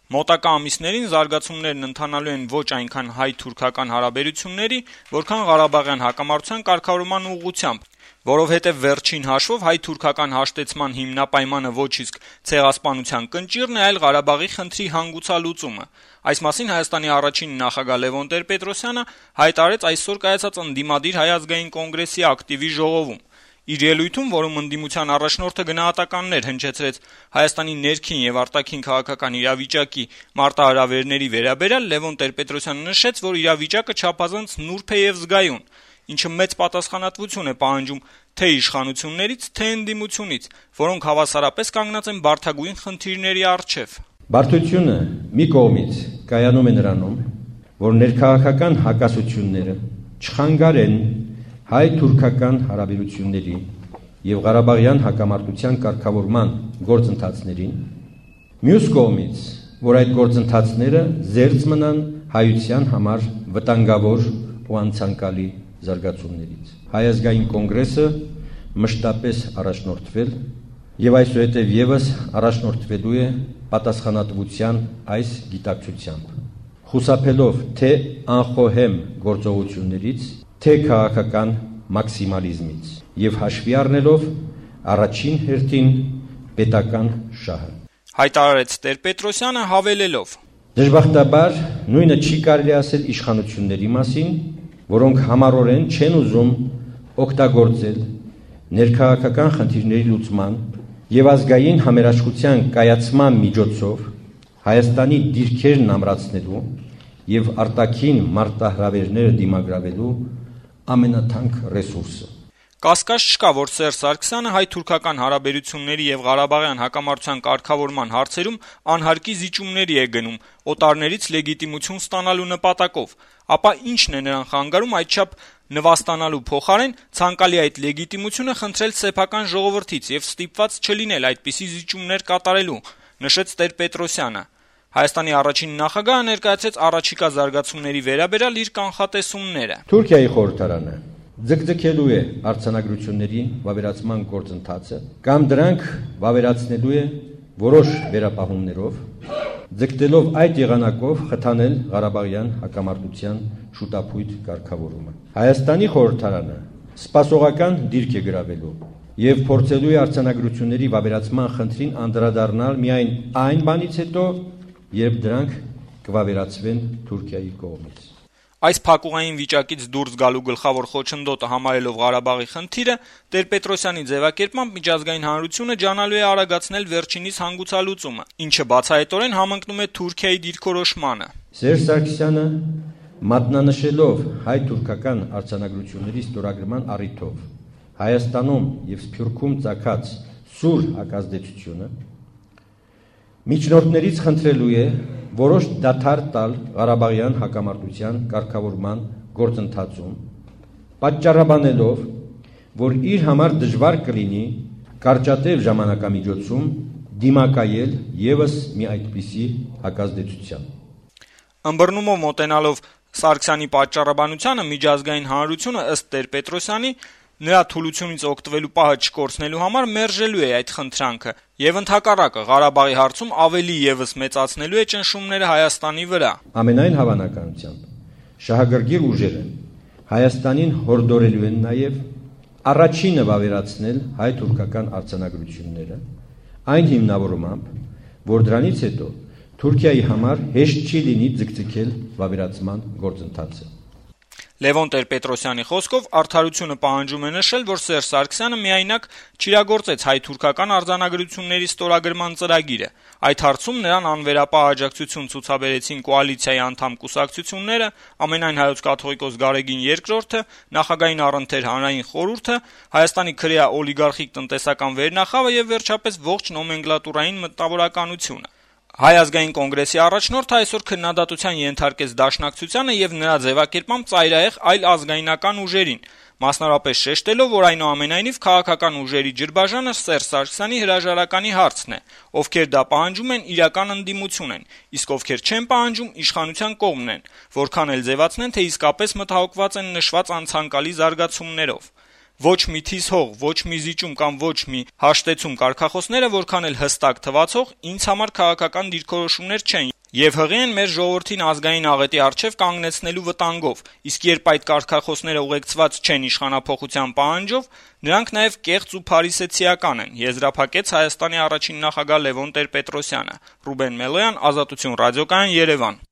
Մոտակա ամիսներին զարգացումներն ընթանալու են ոչ այնքան հայ-թուրքական հարաբերությունների, որքան Ղարաբաղյան հակամարտության կարգավորման ուղղությամբ, որովհետև վերջին հաշվով հայ-թուրքական հաշտեցման հիմնապայմանը ոչ իսկ ցեղասպանության կնճիռն է, այլ Ղարաբաղի խնդրի հանգուցալուծումը։ Այս մասին Հայաստանի առաջին նախագահ Լևոն Տեր-Պետրոսյանը հայտարարեց այսօր կայացած ընդդիմադիր Հայ ազգային կոնգրեսի ակտիվի ժողովում։ Իր ելույթում, որում ընդդիմության առաջնորդը գնահատականներ հնչեցրեց Հայաստանի ներքին եւ արտաքին քաղաքական իրավիճակի մարտահրավերների վերաբերյալ, Լևոն Տեր-Պետրոսյանը նշեց, որ իրավիճակը չափազանց նուրբ է եւ զգայուն, ինչը մեծ պատասխանատվություն է պահանջում թե իշխանություններից, թե ընդդիմությունից, որոնք հավասարապես կանգնած են բարդագույն խնդիրների առջեւ։ Բարդությունը մի կողմից կայանում է նրանում, որ ներքաղաքական հակասությունները չխանգարեն հայ-թուրքական հարաբերությունների եւ Ղարաբաղյան հակամարտության կարգավորման գործընթացներին, մյուս կողմից, որ այդ գործընթացները զերծ մնան հայության համար վտանգավոր ու անցանկալի զարգացումներից։ Հայ ազգային կոնգրեսը մշտապես առաջնորդվել եւ այսուհետեւ եւս առաջնորդվելու է պատասխանատվության այս գիտակցությամբ, խուսափելով թե անխոհեմ գործողություններից, թե քաղաքական մաքսիմալիզմից եւ հաշվի առնելով առաջին հերթին պետական շահը։ Հայտարարեց Տեր-Պետրոսյանը հավելելով. Դժբախտաբար նույնը չի կարելի ասել իշխանությունների մասին, որոնք համառորեն չեն ուզում օգտագործել ներքաղաքական խնդիրների լուծման եւ ազգային համերաշխության կայացման միջոցով Հայաստանի դիրքերն ամրացնելու եւ արտաքին մարտահրավերները դիմագրավելու ամենաթանկ ռեսուրսը։ Կասկած չկա, որ Սերժ Սարգսյանը հայ-թուրքական հարաբերությունների եւ Ղարաբաղյան հակամարտության կարգավորման հարցերում անհարկի զիջումների է գնում օտարներից լեգիտիմություն ստանալու նպատակով, ապա ինչն է նրան խանգարում այդչափ նվաստանալու փոխարեն ցանկալի այդ լեգիտիմությունը խնդրել սեփական ժողովրդից եւ ստիպված չլինել այդպիսի զիջումներ կատարելու, նշեց Տեր-Պետրոսյանը։ Հայաստանի առաջին նախագահը ներկայացրեց առաջիկա զարգացումների վերաբերյալ իր կանխատեսումները։ Թուրքիայի խորհրդարանը ձգձգելու է արձանագրությունների վավերացման գործընթացը կամ դրանք վավերացնելու է որոշ վերապահումներով, ձգտելով այդ եղանակով խթանել Ղարաբաղյան հակամարտության շուտապույտ կարգավորումը։ Հայաստանի խորհրդարանը սպասողական դիրք է գրավելու եւ փորձելու է արձանագրությունների վավերացման խնդրին անդրադառնալ միայն այն բանից հետո, երբ դրանք կվավերացվեն Թուրքիայի կողմից։ Այս փակուղային վիճակից դուրս գալու գլխավոր խոչընդոտը համարելով Ղարաբաղի խնդիրը, Տեր-Պետրոսյանի ձևակերպմամբ միջազգային հանրությունը ջանալու է արագացնել վերջինիս հանգուցալուծումը, ինչը բացահայտորեն համընկնում է Թուրքիայի դիրքորոշմանը։ Սերժ Սարգսյանը մատնանշելով հայ-թուրքական արձանագրությունների ստորագրման առիթով Հայաստանում եւ Սփյուռքում ծագած սուր հակազդեցությունը միջնորդներից խնդրելու է որոշ դադար տալ Ղարաբաղյան հակամարտության կարգավորման գործընթացում, պատճառաբանելով, որ իր համար դժվար կլինի կարճատև ժամանակամիջոցում դիմակայել եւս մի այդպիսի հակազդեցության։ Ըմբռնումով մոտենալով Սարգսյանի պատճառաբանությանը միջազգային հանրությունը ըստ Տեր-Պետրոսյանի նրա թուլությունից օգտվելու պահը չկորցնելու համար մերժելու է այդ խնդրանքը եւ ընդհակառակը Ղարաբաղի հարցում ավելի եւս մեծացնելու է ճնշումները Հայաստանի վրա։ Ամենայն հավանականությամբ շահագրգիռ ուժերը Հայաստանին հորդորելու են նաեւ առաջինը վավերացնել հայ-թուրքական արձանագրությունները, այն հիմնավորումամբ, որ դրանից հետո Թուրքիայի համար հեշտ չի լինի ձգձգել վավերացման գործընթացը։ Լևոն Տեր-Պետրոսյանի խոսքով արդարությունը պահանջում է նշել, որ Սերժ Սարգսյանը միայնակ չիրագործեց հայ-թուրքական արձանագրությունների ստորագրման ծրագիրը։ Այդ հարցում նրան անվերապահ աջակցություն ցուցաբերեցին կոալիցիայի անդամ կուսակցությունները, Ամենայն հայոց կաթողիկոս Գարեգին II-ը, Նախագահային առընթեր հանրային խորհուրդը, Հայաստանի քրեա օլիգարխիկ տնտեսական վերնախավը եւ վերջապես ողջ նոմենկլատուրային մտավորականությունը։ Հայ ազգային կոնգրեսի առաջնորդը այսօր քննադատության ենթարկեց Դաշնակցությանը եւ նրա ձևակերպմամբ ծայրահեղ այլ ազգայնական ուժերին, մասնավորապես շեշտելով, որ այնուամենայնիվ քաղաքական ուժերի ջրբաժանը Սերժ Սարգսյանի հրաժարականի հարցն է, ովքեր դա պահանջում են իրական ընդդիմություն են, իսկ ովքեր չեն պահանջում իշխանության կողմն են, որքան էլ ձևացնեն, թե իսկապես մտահոգված են նշված անցանկալի զարգացումներով։ Ոչ մի թիզ հող, ոչ մի զիջում կամ ոչ մի հաշտեցում կարգախոսները որքան էլ հստակ թվացող ինձ համար քաղաքական դիրքորոշումներ չեն եւ հղի են մեր ժողովրդին ազգային աղետի առջեւ կանգնեցնելու վտանգով, իսկ երբ այդ կարգախոսները ուղեկցված չեն իշխանափոխության պահանջով, նրանք նաեւ կեղծ ու փարիսեցիական են, եզրափակեց Հայաստանի առաջին նախագահ Լևոն Տեր-Պետրոսյանը։ Ռուբեն Մելոյան, Ազատություն ռադիոկայան, Երևան։